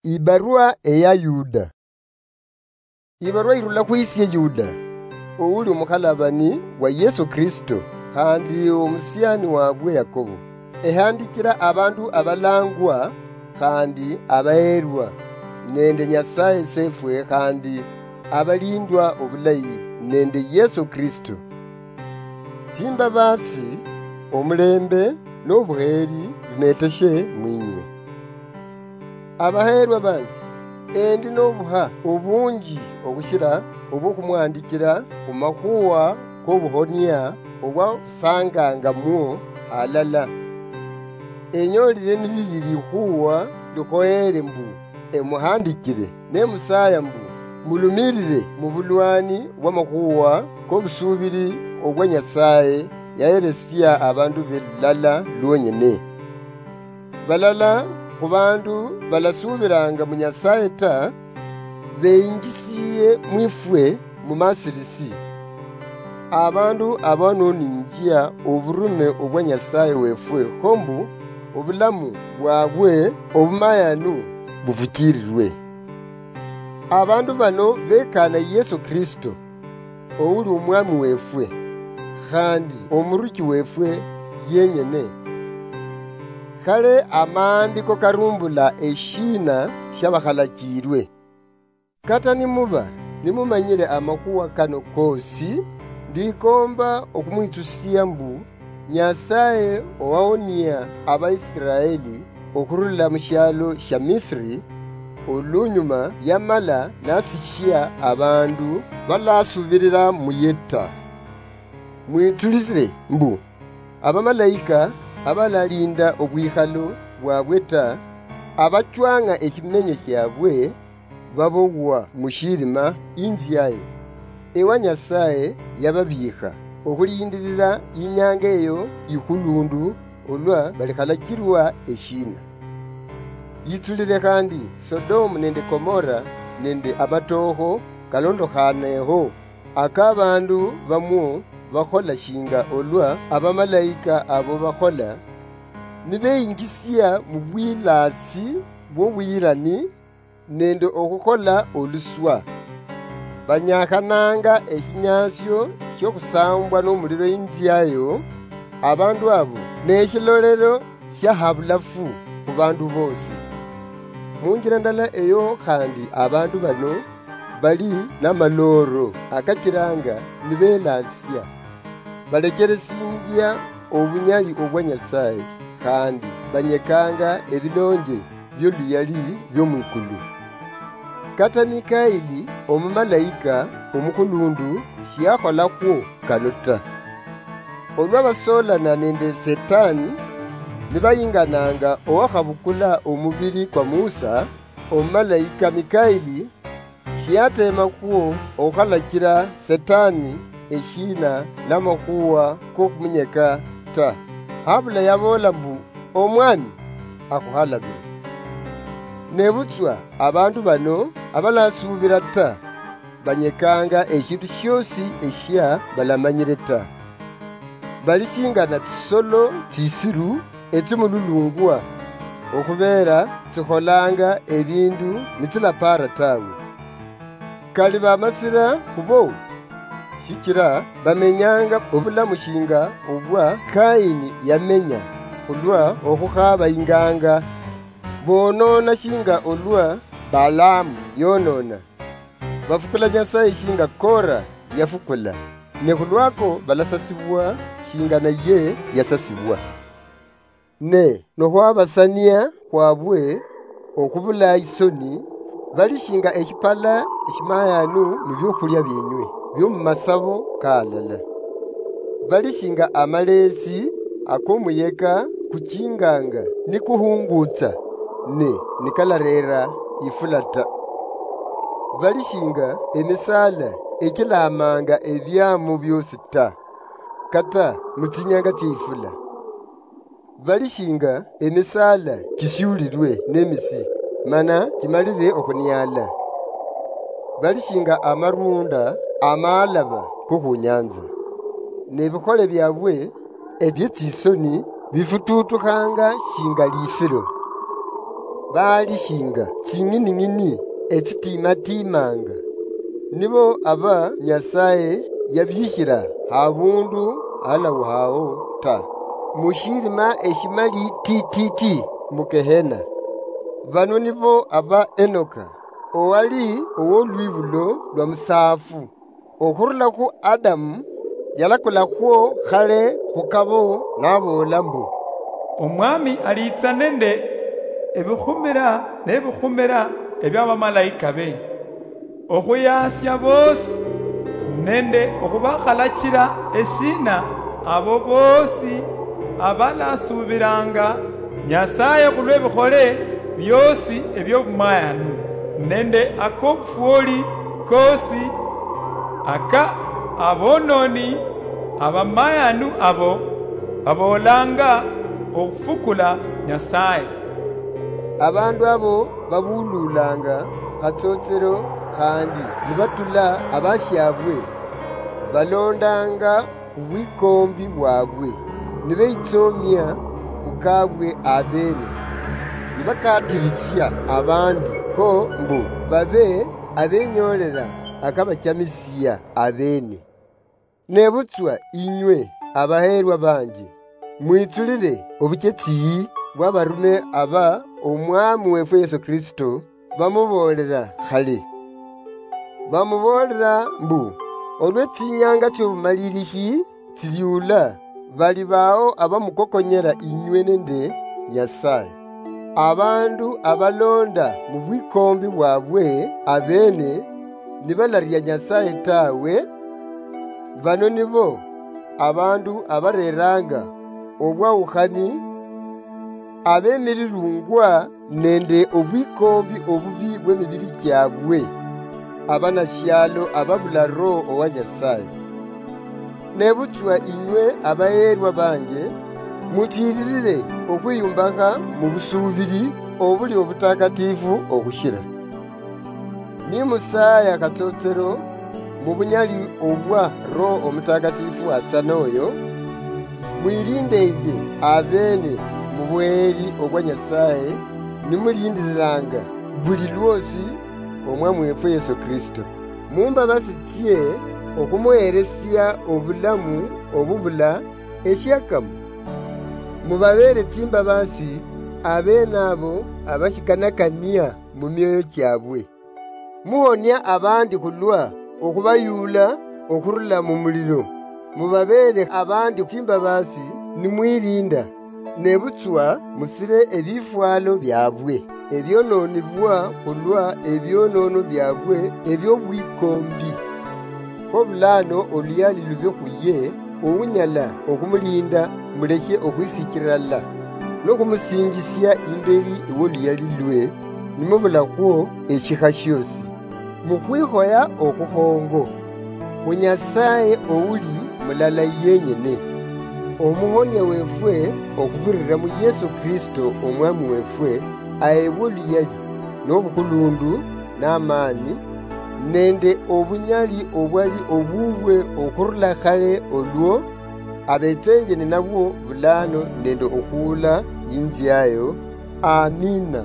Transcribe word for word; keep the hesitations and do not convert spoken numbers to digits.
Ibarua eya Yuda. Ibarua irula khwisie Yuda, ouli omukhalabani wa Yesu Kristo, khandi omusiani wabwe Yakobo, ehandichira abandu abalangwa khandi abaherwa nende Nyasaye sefwe, khandi abalindwa obulayi nende Yesu Kristo. Tsimbabasi, omulembe nobuheri bimeteshe mwinywe. Abaherwa banje, endi nobuha obunji okhushira obwokhumwandichira khumakhuwa kobuhonia obwasangangamwo halala. Enyolile nilili likhuwa likhoyere mbu emuhandichire, nemusaya mbu mulumirire mubulwani bwamakhuwa kobusubiri obwa Nyasaye yaheresia abandu be lulala lwonyene. Balala khubandu balasubiranga mu Nyasaye ta, beyinjisiye mwifwe mumasirisi. Abandu abo noninjia oburume obwa Nyasaye wefwe, khombu obulamu bwabwe obumayanu bufuchirirwe. Abandu bano bekana Yesu Kristo, ouli Omwami wefwe, khandi Omuruchi wefwe yenyene. Khale amaandiko karumbula eshiina shiabakhalachirwe. Kata nimuba nimumanyire amakhuwa kano kosi, ndikomba okhumwitsusia mbu Nyasaye owahonia Abaisiraeli okhurula mushialo shia Misiri, olunyuma yamala nasichia abandu balasubirira muye ta. Mwitsulire mbu abamalaika abalalinda obwikhalo bwabwe ta, abachwang'a eshimenyo shiabwe, babowwa mushirima inziayo, ewa Nyasaye yababiikha, okhulindirira inyanga eyo ikhulundu, olwa balikhalachirwa eshiina. Yitsulire khandi Sodomu nende Gomora nende amatookho kalondokhaaneho, aka abandu bamwo bakhola shinga olwa abamalaika abo bakhola, nibeyinjisia mubwilaasi bwobuyirani nende okhukhola oluswa. Banyakhananga eshinyasio shiokhusambwa nomuliro inziayo, abandu abo neshilolero shia habulafu khubandu bosi. Munjira ndala eyo khandi abandu bano bali namalooro akachiranga nibelasia. Balecheresinjia obunyali obwa Nyasaye, khandi banyekanga ebilonje bioluyali biomwikulu. Kata Mikaili omumalaika omukhulundu shiakholakhwo kano ta. Olwa basolana nende Setani, nibayingananga owakhabukula omubiri kwa Musa, omumalaika Mikaili shiyateemakhwo okhukhalachira Setani eshiina namakhuwa kokhumunyeka ta, habula yaboola mbu, "Omwami akhuhalabire." Nebutswa abandu bano abalasuubira ta, banyekanga eshindu shiosi eshia balamanyire ta. Bali shingana tsisolo tsisiru etsimululungwa, okhubeera tsikholanga ebindu nitsilapaara tawe. Kali bamasira khubo, shichira bamenyanga obulamu shinga obwa Kaini yamenya, khulwa okhukhaaba inganga. Bonoona shinga olwa Balaamu yonoona. Bafukula Nyasaye shinga Kora yafukula, ne khulwako balasasibwa shinga naye yasasibwa. Ne nokhwabasania khwabwe okhubula isoni, bali shinga eshipala eshimayanu mu biokhulia bienywe biomumasabo kalala. Bali shinga amalesi akomuyeka kuchinganga nikuhungutsa, ne nikalarera ifula ta. Bali shinga emisala echilamanga ebiamo biosi ta, kata mutsinyanga tsiefula. Bali shinga emisala chisiulirwe nemisi, mana chimalire okhuniala. Bali shinga amarunda amaalaba kokhunyanza, nebikhole biabwe ebietsisoni bifututukhanga shinga lifiro. baali shinga tsing'ining'ini etsitiimatiimanga, nibo aba Nyasaye yabiikhira habundu halauhao ta, mu shirima eshimali tititi mu Gehena. Bano nibo aba Enoka, owali owolwibulo lwa musaafu. Okhurula khu Adamu, yalakulakhwo khale khukabo naboola mbu, "Omwami aliitsa nende ebikhumira nebikhumira ebiabamalaika be, okhuyaasia boosi nende okhubakhalachira eshiina abo boosi abalasuubiranga Nyasaye khulwebikhole bioosi ebiobumayanu, nende akobufwoli koosi aka aboononi abamayanu abo baboolanga okhufukula Nyasaye." Abandu abo babululanga khatsotsero khandi nibatula abashiabwe, balondanga obwikombi bwabwe, nibeitsomia khukabwe abene, nibakatirisia abandi kho mbu babe abenyoolela akabachamisia abene. Nebutswa inywe abaheerwa banje, mwitsulile obuchetsi bw'abarume aba Omwami weefwe Yesu Kristo bamuboolela khale. Bamuboolela mbu, olwe tsinyanga tsiobumalilishi tsiliula, bali bao abamukokonyela inywe nende Nyasaye. Abandu abalonda mu bwikombi bwabwe abene nibalaria Nyasaye tawe, bano nibo abandu abareranga obwaukhani, abemirirungwa nende obwikombi obubi bw'emibiri kiabwe, abanashialo ababula Roho owa Nyasaye. Nebutswa inywe abaheerwa banje, muchiililile okhwiyumbakha mu busuubili obuli obutakatifu okhushila. Nimusaaya katsotsero mu bunyali obwa Roho Omutakatifu watsana oyo, mwiliindeenge abeene mu buheeri obwa Nyasaye, nimuliindililanga buli lwoosi Omwami weefwe Yesu Kristo. Mu mbabaasi tsie okhumuheelesia obulamu obubula eshiakamo. Mubabeele tsimbabaasi abeene abo abashikanakania mu mioyo kiabwe. Muhonia abandi khulwa okhubayuula okhurula mu mulilo. Mubabeele abandi tsimbabaasi nimwiliinda, nebutswa musile ebifwalo biabwe ebionoonibwa khulwa ebionoono biabwe ebiobwikombi. Kho bulaano oluyali lube khuye ounyala okhumuliinda, mulekhe okhwisichilala nokhumusinjisia imbeli ewoluyali lwe, nimubulakhwo eshikha shiosi. Mukhwikhoya okhukhongo, khu Nyasaye ouli mulala yenyene, Omuhonia weefwe okhubirira mu Yesu Kristo Omwami weefwe, aebwe oluyali, nobukhulundu, namaani, nende obunyali obwali obubwe okhurula khale olwo, abetsenje ninabwo bulaano nende okhuula inziayo. Amina.